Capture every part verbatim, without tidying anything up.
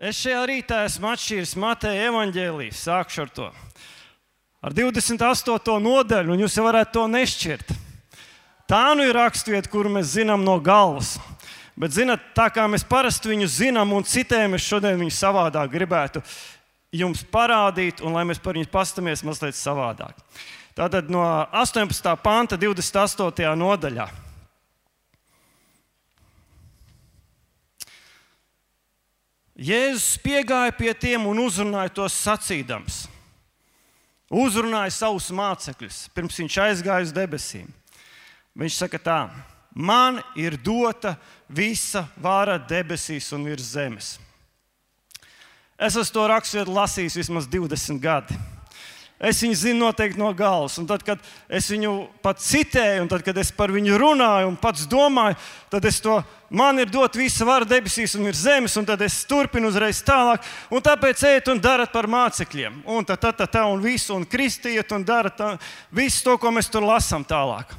Es šajā rītā esmu atšķīris Mateja evaņģēliju, sākšu ar to. Ar divdesmit astoto nodaļu, un jūs jau varētu to nešķirt. Tā nu ir rakstvieta, kuru mēs zinām no galvas. Bet, zināt, tā kā mēs parasti viņu zinām un citējam, es šodien viņu savādāk gribētu jums parādīt, un lai mēs par viņu pastamies mazliet savādāk. Tātad no astoņpadsmitā panta divdesmit astotajā nodaļā. Jēzus piegāja pie tiem un uzrunāja tos sacīdams. Uzrunāja savus mācekļus, pirms viņš aizgāja uz debesīm. Viņš saka tā: man ir dota visa vara debesīs un virs zemes. Es esmu to raksturvietu lasījis vismaz divdesmit gadi. Es viņu zinu noteikti no galvas, un tad, kad es viņu pat citēju, un tad, kad es par viņu runāju un pats domāju, tad es to, man ir dot visa vara debesīs un virs zemes, un tad es turpinu uzreiz tālāk, un tāpēc ejiet un darat par mācekļiem, un tā, tā, tā, tā, un visu, un kristiet, un darat tā, visu to, ko mēs tur lasām tālāk.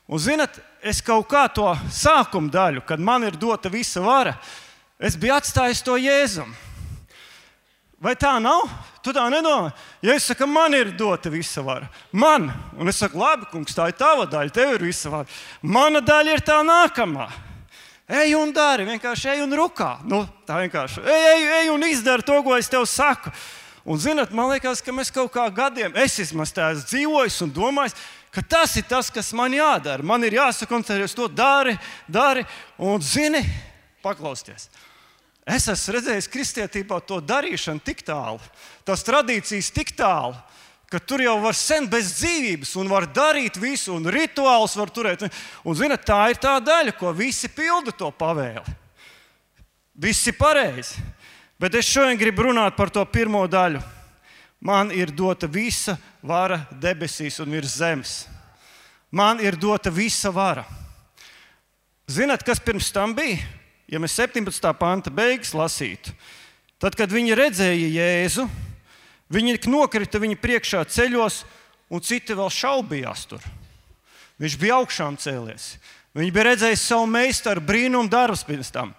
Un zinat, es kaut kā to sākuma daļu, kad man ir dota visa vara, es biju atstājis to Jēzum. Vai tā nav? Tu tā nedomā? Ja es saku, man ir dota visa vara. Man. Un es saku, labi, kungs, tā ir tava daļa, tev ir visa vara. Mana daļa ir tā nākamā. Ej un dari, vienkārši ej un rukā. Nu, tā vienkārši. Ej, ej, ej un izdari to, ko es tev saku. Un zināt, man liekas, ka mēs kaut kā gadiem, es vismaz tā esmu dzīvojis un domājis, ka tas ir tas, kas man jādara. Man ir jāsakoncentrēties to dari, dari, un zini, paklausties. Es esmu redzējis kristietībā to darīšanu tik tālu, tās tradīcijas tik tālu, ka tur jau var sen bez dzīvības un var darīt visu, un rituālus var turēt. Un, zināt, tā ir tā daļa, ko visi pilda to pavēli. Visi pareizi. Bet es šodien gribu runāt par to pirmo daļu. Man ir dota visa vara debesīs un virs zemes. Man ir dota visa vara. Zināt, kas pirms tam bija? Ja mēs septiņpadsmitā panta beigas lasītu, tad, kad viņi redzēja Jēzu, viņi nokrita viņa priekšā ceļos, un citi vēl šaubījās tur. Viņš bija augšām cēlies. Viņi bija redzējis savu meistaru brīnumu darbus pirms tam.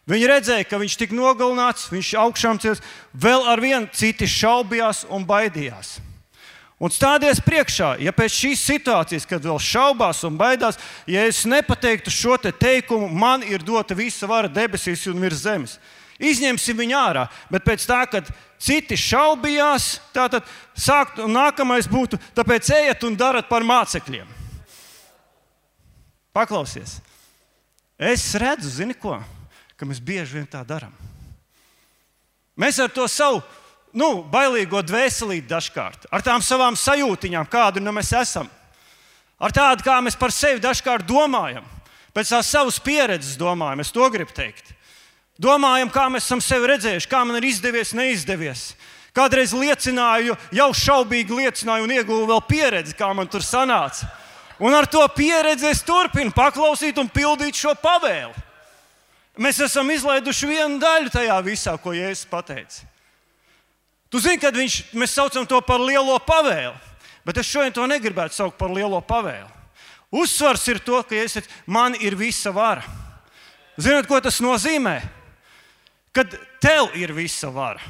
Viņi redzēja, ka viņš tika nogalināts, viņš augšām cēlies, vēl ar vienu citi šaubījās un baidījās. Un stādies priekšā, ja pēc šīs situācijas, kad vēl šaubās un baidās, ja es nepateiktu šo te teikumu, man ir dota visa vara debesīs un virs zemes. Izņemsim viņu ārā, bet pēc tā, kad citi šaubījās, tātad sākt, un nākamais būtu, tāpēc ejiet un darat par mācekļiem. Paklausies. Es redzu, zini ko, ka mēs bieži vien tā daram. Mēs ar to savu Nu, bailīgo dvēselīti dažkārt, ar tām savām sajūtiņām, kādu nu mēs esam, ar tādu, kā mēs par sevi dažkārt domājam, pēc tās savas pieredzes domājam, es to gribu teikt. Domājam, kā mēs esam sevi redzējuši, kā man ir izdevies, neizdevies. Kādreiz liecināju, jau šaubīgi liecināju un ieguvu vēl pieredzi, kā man tur sanāca. Un ar to pieredzi es turpinu paklausīt un pildīt šo pavēli. Mēs esam izlaiduši vienu daļu tajā visā, ko Jēzus pateica. Tu zini, kad viņš, mēs saucam to par lielo pavēli, bet es šodien to negribētu saukt par lielo pavēli. Uzsvars ir to, ka es, man ir visa vara. Zināt, ko tas nozīmē? Kad tev ir visa vara.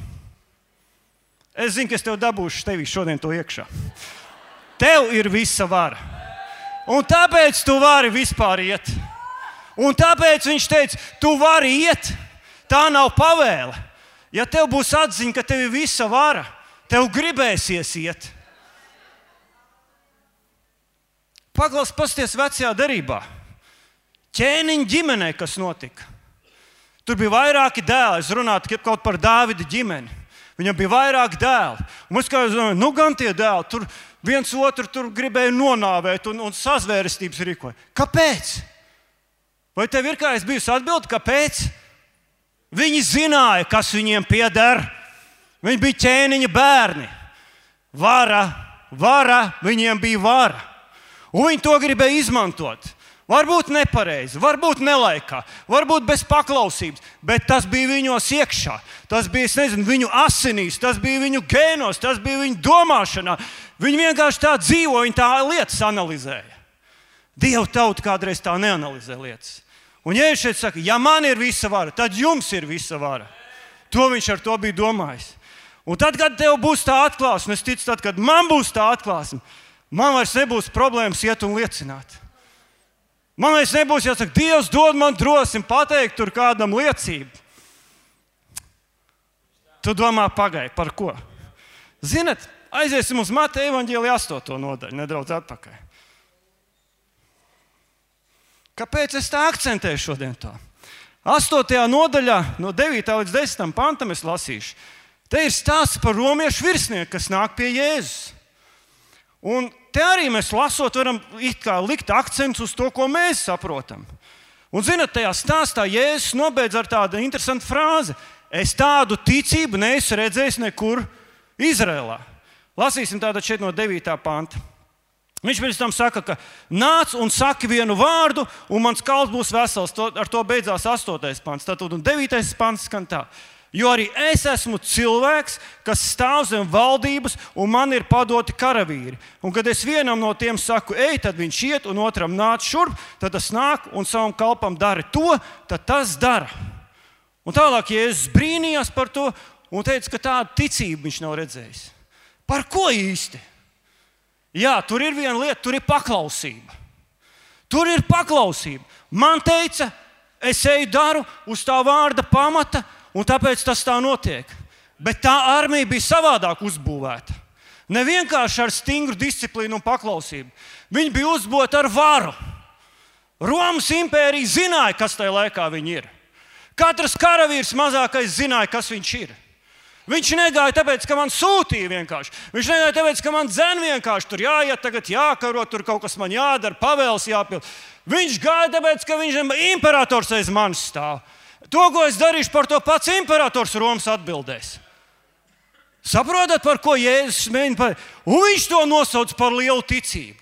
Es zinu, ka es tev dabūšu tevī šodien to iekšā. Tev ir visa vara. Un tāpēc tu vari vispār iet. Un tāpēc viņš teica, tu vari iet. Tā nav pavēle. Ja tev būs atziņa, ka tev ir visa vara, tev gribēsies iet. Paklaus, pasties vecajā derībā. Ķēniņa ģimenē, kas notika. Tur bija vairāki dēli. Es runātu kaut par Dāvida ģimeni. Viņam bija vairāki dēli. Un mēs kā domājam, nu gan tie dēli, tur viens otru tur gribēja nonāvēt un, un sazvērestības rīkoja. Kāpēc? Vai tev ir kā es bijusi atbildi, kāpēc? Viņi zināja, kas viņiem pieder. Viņi bija ķēniņa bērni. Vara, vara, viņiem bija vara. Un viņi to gribēja izmantot. Varbūt nepareizi, varbūt nelaikā, varbūt bez paklausības, bet tas bija viņos iekšā. Tas bija, es nezinu, viņu asinīs, tas bija viņu gēnos, tas bija viņu domāšanā. Viņi vienkārši tā dzīvo, viņi tā lietas analizēja. Dieva tauta kādreiz tā neanalizē lietas. Un Jēzus šeit saka, ja man ir visa vara, tad jums ir visa vara. To viņš ar to bija domājis. Un tad, kad tev būs tā atklāsme, es ticu, tad, kad man būs tā atklāsme, man vairs nebūs problēmas iet un liecināt. Man vairs nebūs jāsaka, Dievs dod man drosmi pateikt tur kādam liecību. Tu domā, pagai, par ko? Zinat, aiziesim uz Mateja evaņģēlija astoto nodaļu, nedaudz atpakaļ. Kāpēc es tā akcentēju šodien to? astotajā nodaļā, no devītā līdz desmitam pantam es lasīšu. Te ir stāsts par romiešu virsnieku, kas nāk pie Jēzus. Un te arī mēs lasot varam it kā likt akcentus uz to, ko mēs saprotam. Un zināt, tajā stāstā Jēzus nobeidz ar tādu interesantu frāzi. Es tādu ticību neesmu redzējis nekur Izrēlā. Lasīsim tātad šeit no devītā panta. Viņš pēc tam saka, ka nāc un saki vienu vārdu, un mans kalps būs vesels. To, ar to beidzās astotais pants. Tātad un devītais pants skan tā. Jo arī es esmu cilvēks, kas stāv zem valdības, un man ir padoti karavīri. Un kad es vienam no tiem saku, ej, tad viņš iet, un otram nāc šurp, tad tas nāk un savam kalpam dara to, tad tas dara. Un tālāk Jēzus brīnījās par to un teica, ka tādu ticību viņš nav redzējis. Par ko īsti? Jā, tur ir viena lieta, tur ir paklausība. Tur ir paklausība. Man teica, es eju daru uz tā vārda pamata, un tāpēc tas tā notiek. Bet tā armija bija savādāk uzbūvēta. Ne vienkārši ar stingru disciplīnu un paklausību. Viņi bija uzbūvēti ar varu. Romas impērija zināja, kas tajā laikā viņi ir. Katrs karavīrs mazākais zināja, kas viņš ir. Viņš negāja tāpēc, ka man sūtīja vienkārši. Viņš negāja tāpēc, ka man dzen vienkārši tur jāiet, tagad jākaro, tur kaut kas man jādara, pavēles jāpild. Viņš gāja tāpēc, ka viņš imperators aiz manis stāv. To, ko es darīšu, par to pats imperators Romas atbildēs. Saprotat, par ko Jēzus mēģina pateikt? Un viņš to nosauc par lielu ticību.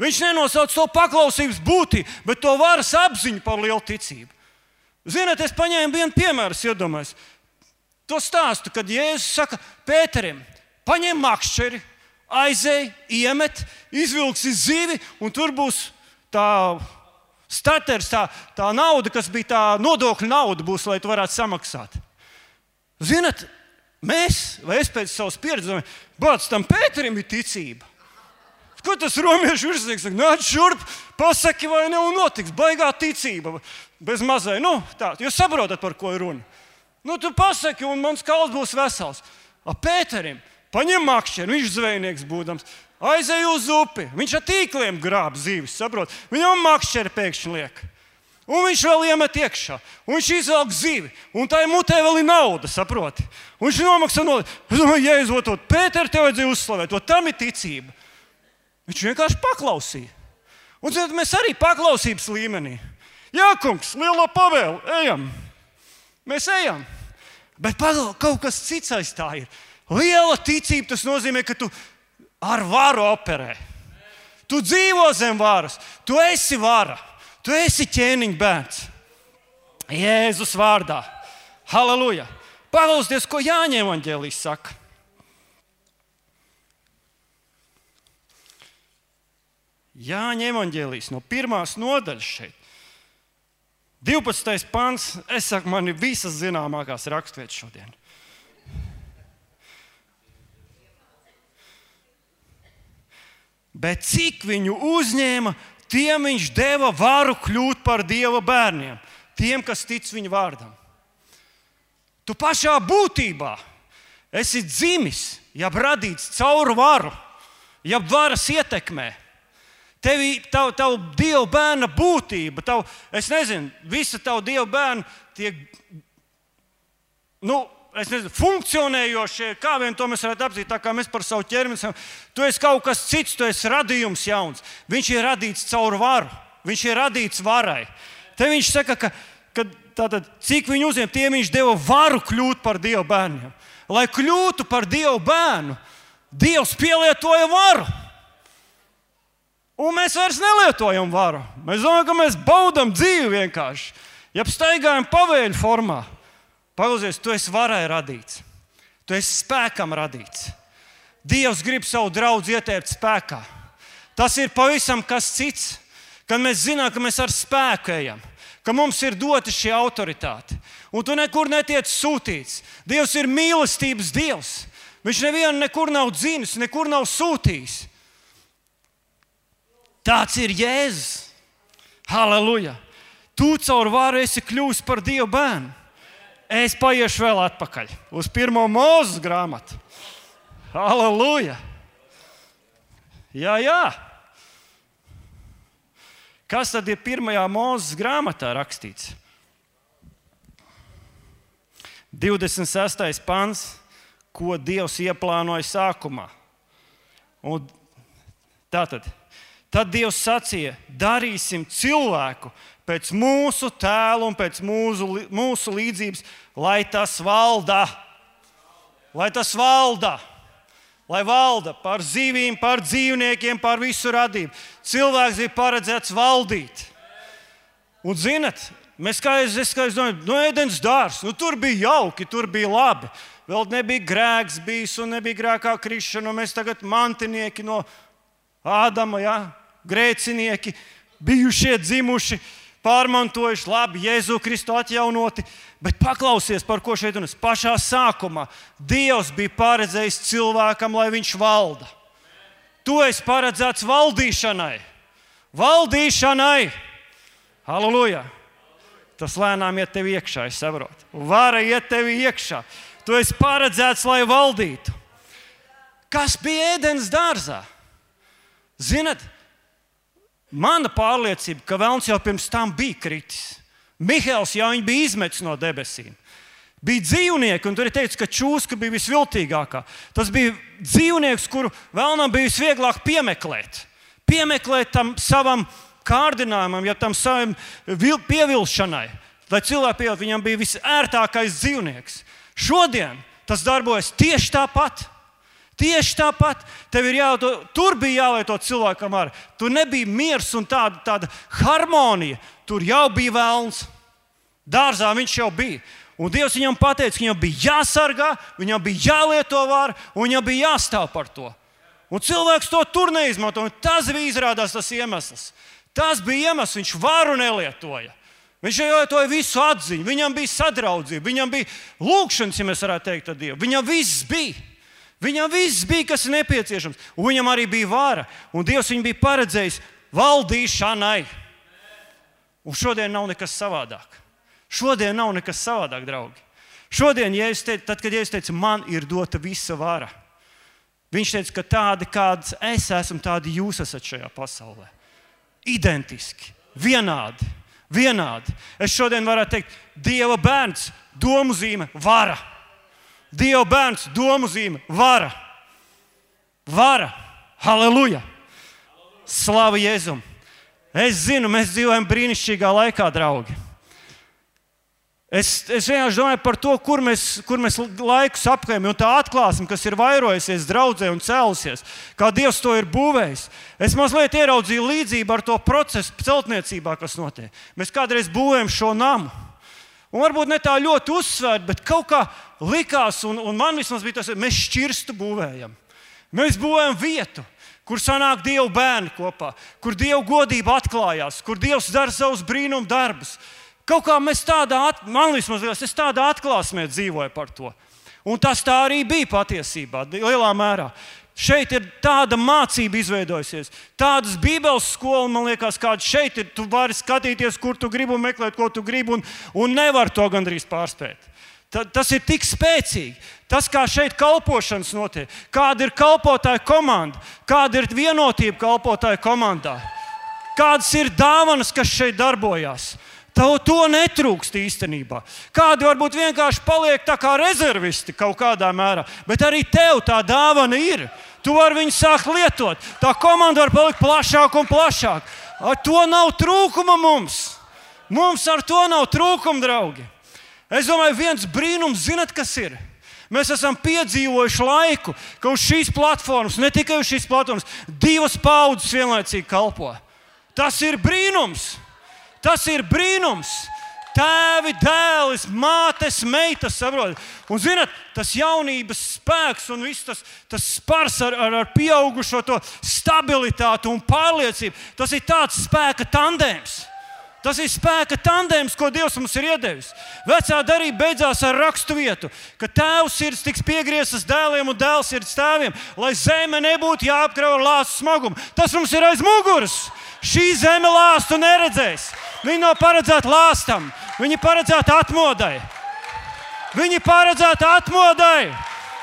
Viņš nenosauc to paklausības būtību, bet to varas apziņu par lielu ticību. Ziniet, es paņēmu vienu piemēru, iedomājos. To stāstu, kad Jēzus saka Pēterim, paņem makšķeri, aizej, iemet, izvilksi zivi, un tur būs tā staters, tā, tā nauda, kas bija tā nodokļu nauda, būs, lai tu varētu samaksāt. Ziniet, mēs, vai es pēc savas pieredzes, bāc, tam Pēterim ir ticība. Ko tas romiešu virsnieks saka? Nāc šurp, pasaki, vai ne, un notiks. Baigā ticība, bez mazai. Nu, tā, jūs saprotat, par ko ir runa. Nu, tu pasaki, un mans kalps būs vesels. A Pēterim, paņem makšķeri, viņš zvejnieks būdams, aizej uz upi. Viņš ar tīkliem grāb zīvis, saprot? Viņam makšķeri pēkšņi liek. Un viņš vēl iemet iekšā. Un viņš izvelk zivi. Un tā mutē vēl ir nauda, saproti? Un viņš nomaksā naudu. Es domāju, Jēzus, Pēteri, tev vajadzēja uzslavēt. To tam ir ticība. Viņš vienkārši paklausīja. Un zināt, mēs arī paklausības līmenī. Jā, kungs, lielo pavēlu, ejam. Mēs ejam. Bet padomā, kaut kas cits aiz tā ir. Liela ticība, tas nozīmē, ka tu ar varu operē. Tu dzīvo zem varas. Tu esi vara. Tu esi ķēniņa bērns. Jēzus vārdā. Halleluja. Paklausieties, ko Jāņa evaņģēlijs saka. Jāņa evaņģēlijs no pirmās nodaļas šeit. divpadsmitais pants, es saku, man ir visas zināmākās raksturvietas šodien. Bet cik viņu uzņēma, tiem viņš deva varu kļūt par Dieva bērniem, tiem, kas tic viņa vārdam. Tu pašā būtībā esi dzimis, jeb radīts caur varu, jeb varas ietekmē. Tev, tavu, tavu Dieva bērna būtība, tavu, es nezinu, visa tavu Dieva bērna tiek, nu, es nezinu, funkcionējošie, kā vien to mēs varētu apzīt, tā kā mēs par savu ķermeni. Tu esi kaut kas cits, tu esi radījums jauns. Viņš ir radīts caur varu, viņš ir radīts varai. Te viņš saka, ka, ka tātad, cik viņu uzņem, tiem viņš deva varu kļūt par Dieva bērniem. Lai kļūtu par Dieva bērnu, Dievs pielietoja varu. Un mēs vairs nelietojam varu. Mēs domājam, ka mēs baudam dzīvi vienkārši. Ja staigājam pavēļu formā, paklausies, tu esi varai radīts. Tu esi spēkam radīts. Dievs grib savu draudzi ietērpt spēkā. Tas ir pavisam kas cits, kad mēs zinām, ka mēs ar spēku ejam. ka mums ir dota šī autoritāte. Un tu nekur netiec sūtīts. Dievs ir mīlestības Dievs. Viņš nevienu nekur nav dzinis, nekur nav sūtījis. Tāds ir Jēzus. Halleluja! Tu caur varu esi kļuvis par Dieva bērnu. Es paiešu vēl atpakaļ uz pirmo Mūzes grāmatu. Halleluja! Jā, jā. Kas tad ir pirmajā Mūzes grāmatā rakstīts? divdesmit sestais pants, ko Dievs ieplānoja sākumā. Un tātad, tad Dievs sacīja, darīsim cilvēku pēc mūsu tēla un pēc mūsu, mūsu līdzības, lai tas valda. Lai tas valda. Lai valda par zivīm, par dzīvniekiem, par visu radību. Cilvēks bija paredzēts valdīt. Un zinat, mēs kā es, es, kā es domāju, no Ēdens dārzs, nu tur bija jauki, tur bija labi. Vēl nebija grēks bijis un nebija grēkā krišana, un mēs tagad mantinieki no Ādama, ja, grēcinieki, bijušie dzimuši, pārmantojuši, labi, Jēzu Kristu atjaunoti. Bet paklausies, par ko šeit runās. Pašā sākumā Dievs bija paredzējis cilvēkam, lai viņš valda. Tu esi paredzēts valdīšanai. Valdīšanai. Halleluja. Tas lēnām iet tev iekšā, es saprotu. Vara iet tev iekšā. Tu esi paredzēts, lai valdītu. Kas bija Ēdens dārzā? Zinat, mana pārliecība, ka Velns jau pirms tam bija kritis. Mihails jau viņu bija izmetis no debesīm. Bija dzīvnieki, un tur ir teikts, ka čūska bija visviltīgākā. Tas bija dzīvnieks, kuru Velnam bija visvieglāk piemeklēt. Piemeklēt tam savam kārdinājumam, ja tam savam pievilšanai. Lai cilvēki pievilkt, viņam bija visērtākais dzīvnieks. Šodien tas darbojas tieši tāpat. Tieši tāpat. Tev ir jālieto, tur bija jālieto cilvēkam ar. Tur nebija miers un tāda, tāda harmonija. Tur jau bija Velns. Dārzā viņš jau bija. Un Dievs viņam pateica, ka viņam bija jāsargā, viņam bija jālieto vara un viņam bija jāstāv par to. Un cilvēks to tur neizmanto. Un tas bija izrādās tas iemesls. Tas bija iemesls, viņš varu nelietoja. Viņš jau lietoja visu atziņu, viņam bija sadraudzība, viņam bija lūkšanas, ja mēs varētu teikt ar Dievu. Viņam viss bija. Viņam viss bija, kas ir nepieciešams. Un viņam arī bija vara. Un Dievs viņu bija paredzējis valdīšanai. Un šodien nav nekas savādāk. Šodien nav nekas savādāk, draugi. Šodien, ja es teicu, tad, kad Jēzus teica, man ir dota visa vara, viņš teica, ka tādi, kāds es esmu, tādi jūs esat šajā pasaulē. Identiski, vienādi, vienādi. Es šodien varētu teikt, Dieva bērns, domu zīme, vara. Dieva bērns, domu zīme, vara. Vara. Halleluja. Slava Jēzum. Es zinu, mēs dzīvojam brīnišķīgā laikā, draugi. Es, es vienkārši domāju par to, kur mēs, kur mēs laikus apklējam, un tā atklāsme, kas ir vairojusies draudzē un cēlusies, kā Dievs to ir būvējis. Es mazliet ieraudzīju līdzību ar to procesu celtniecībā, kas notiek. Mēs kādreiz būvējam šo namu. Un varbūt ne tā ļoti uzsvērt, bet kaut kā likās, un, un man vismaz bija tas, mēs šķirstu būvējam. Mēs būvējam vietu, kur sanāk Dieva bērni kopā, kur Dieva godība atklājās, kur Dievs dara savus brīnumu darbus. Kaut kā mēs tādā, man vismaz liekas, es tādā atklāsmē dzīvoju par to. Un tas tā arī bija patiesībā, lielā mērā. Šeit ir tāda mācība izveidojusies, tādas bībeles skola, man liekas, kāda šeit ir. Tu vari skatīties, kur tu gribi un meklēt, ko tu gribi, un, un nevar to gandrīz pārspēt. Ta, tas ir tik spēcīgi. Tas, kā šeit kalpošanas notiek, kāda ir kalpotāja komanda, kāda ir vienotība kalpotāja komandā, kādas ir dāvanas, kas šeit darbojās. Tev to netrūkst īstenībā. Kādi varbūt vienkārši paliek tā kā rezervisti kaut kādā mērā, bet arī tev tā dāvana ir. Tu vari viņu sākt lietot. Tā komanda var palikt plašāk un plašāk. Ar to nav trūkuma mums. Mums ar to nav trūkuma, draugi. Es domāju, viens brīnums, zinat, kas ir? Mēs esam piedzīvojuši laiku, ka uz šīs platformas, ne tikai uz šīs platformas, divas paudzes vienlaicīgi kalpo. Tas ir brīnums. Tas ir brīnums. Tēvi, dēlis, mātes, meitas, saprot. Un zināt, tas jaunības spēks un viss tas, tas spars ar, ar, ar pieaugušo to stabilitāti un pārliecību, tas ir tāds spēka tandēms. Tas ir spēka tandēms, ko Dievs mums ir iedevis. Vecā darība beidzās ar rakstu vietu, ka tēva sirds tiks piegrieztas dēliem un dēls sirds tēviem, lai zeme nebūtu jāapkrauj ar lāstu smagumu. Tas mums ir aiz muguras. Šī zeme lāstu neredzēs. Viņa nav paredzēta lāstam, viņa ir paredzēta atmodai. Viņa ir paredzēta atmodai.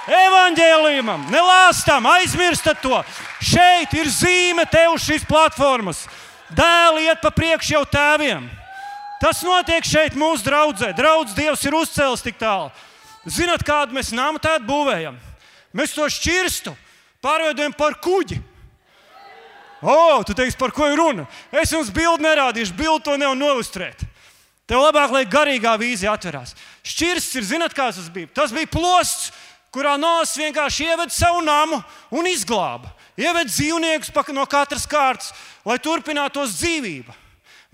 Evaņģēlijumam, ne lāstam, aizmirstat to. Šeit ir zīme tev uz šīs platformas. Dēli iet pa priekšu jau tēviem. Tas notiek šeit mūsu draudzē. Draudz Dievs ir uzcēlis tik tālu. Zināt, kādu mēs namu tādu būvējam? Mēs to šķirstu pārveidojam par kuģi. O, tu teiksi, par ko ir runa? Es jums bildi nerādīšu, bildi to nevar noilustrēt. Tev labāk, lai garīgā vīzija atverās. Šķirsts ir, zināt, kāds tas bija? Tas bija plosts, kurā Noas vienkārši ieved savu namu un izglāba. Ieved dzīvniekus no katras kārtas, lai turpinātos dzīvība.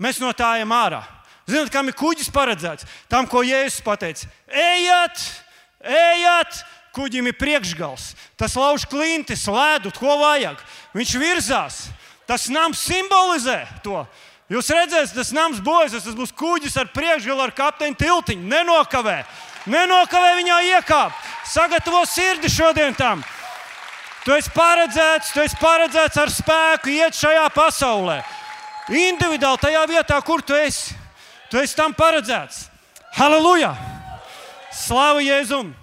Mēs no tā ejam ārā. Zināt, kam ir kuģis paredzēts? Tam, ko Jēzus pateica. Ejiet, ejiet, kuģim ir priekšgals. Tas lauž klintis, ledu, ko vajag. Viņš virzās. Tas nams simbolizē to. Jūs redzēsiet, tas nams bojas, tas būs kuģis ar priekšgalu, ar kapteiņa tiltiņu. Nenokavē. Nenokavē viņā iekāpt. Sagatavo sirdi šodien tam. Tu esi paredzēts, tu esi paredzēts ar spēku iet šajā pasaulē. Individuāli tajā vietā, kur tu esi. Tu esi tam paredzēts. Halleluja! Slavu Jēzum!